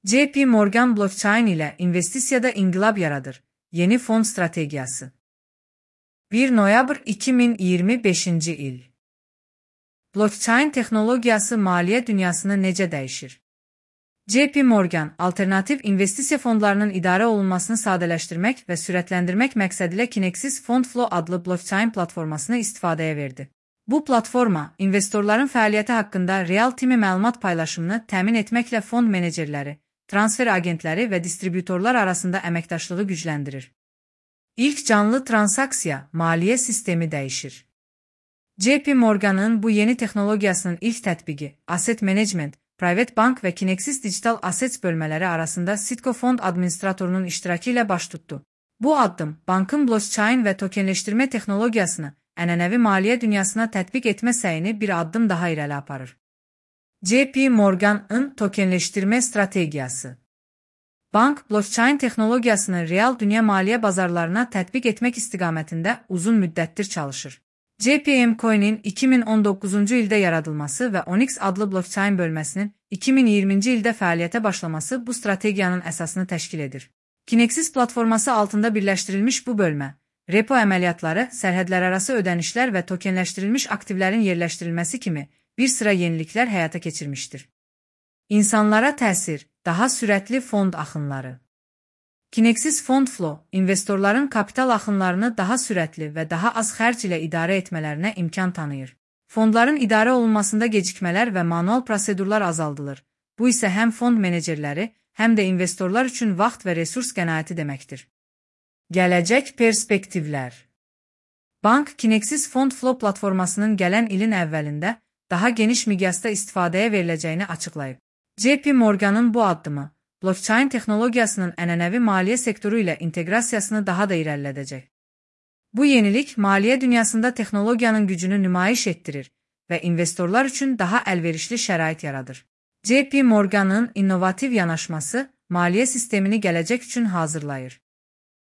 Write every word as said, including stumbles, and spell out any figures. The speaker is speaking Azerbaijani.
J P Morgan blockchain ile investisiyada inqilab yaradır. Yeni fon strategiyası. bir noyabr iki min iyirmi beşinci il. Blockchain texnologiyası maliyyə dünyasını necə dəyişir? J P Morgan, alternativ investisiya fondlarının idarə olunmasını sadələşdirmək və sürətləndirmək məqsədilə Kinexys FondFlow adlı blockchain platformasını istifadəyə verdi. Bu platforma, investorların fəaliyyəti haqqında real-time məlumat paylaşımını təmin etməklə fond menecerləri, transfer agentləri və distributorlar arasında əməkdaşlığı gücləndirir. İlk canlı transaksiya, maliyyə sistemi dəyişir. J P Morgan'ın bu yeni texnologiyasının ilk tətbiqi, Asset Management, Private Bank və Kinexys Digital Assets bölmələri arasında Citco fond administratorunun iştirakı ilə baş tutdu. Bu addım, bankın blockchain və tokenləşdirmə texnologiyasını ənənəvi maliyyə dünyasına tətbiq etmə səyini bir addım daha irəli aparır. J P Morgan'ın tokenləşdirmə strategiyası. Bank, blockchain texnologiyasını real dünya maliyyə bazarlarına tətbiq etmək istiqamətində uzun müddətdir çalışır. J P M Coin'in iki min on doqquzuncu ildə yaradılması və Onyx adlı blockchain bölməsinin iki min iyirminci ildə fəaliyyətə başlaması bu strategiyanın əsasını təşkil edir. Kinexys platforması altında birləşdirilmiş bu bölmə, repo əməliyyatları, sərhədlərarası ödənişlər və tokenləşdirilmiş aktivlərin yerləşdirilməsi kimi bir sıra yeniliklər həyata keçirmişdir. İnsanlara təsir, daha sürətli fond axınları. Kinexys FondFlow, investorların kapital axınlarını daha sürətli və daha az xərc ilə idarə etmələrinə imkan tanıyır. Fondların idarə olunmasında gecikmələr və manual prosedurlar azaldılır. Bu isə həm fond menecerləri, həm də investorlar üçün vaxt və resurs qənaəti deməkdir. Gələcək perspektivlər. Bank, Kinexys FondFlow platformasının gələn ilin əvvəlində daha geniş miqyasda istifadəyə veriləcəyini açıqlayıb. J P Morgan'ın bu addımı, blockchain texnologiyasının ənənəvi maliyyə sektoru ilə inteqrasiyasını daha da irəlilədəcək. Bu yenilik, maliyyə dünyasında texnologiyanın gücünü nümayiş etdirir və investorlar üçün daha əlverişli şərait yaradır. J P Morgan'ın innovativ yanaşması, maliyyə sistemini gələcək üçün hazırlayır.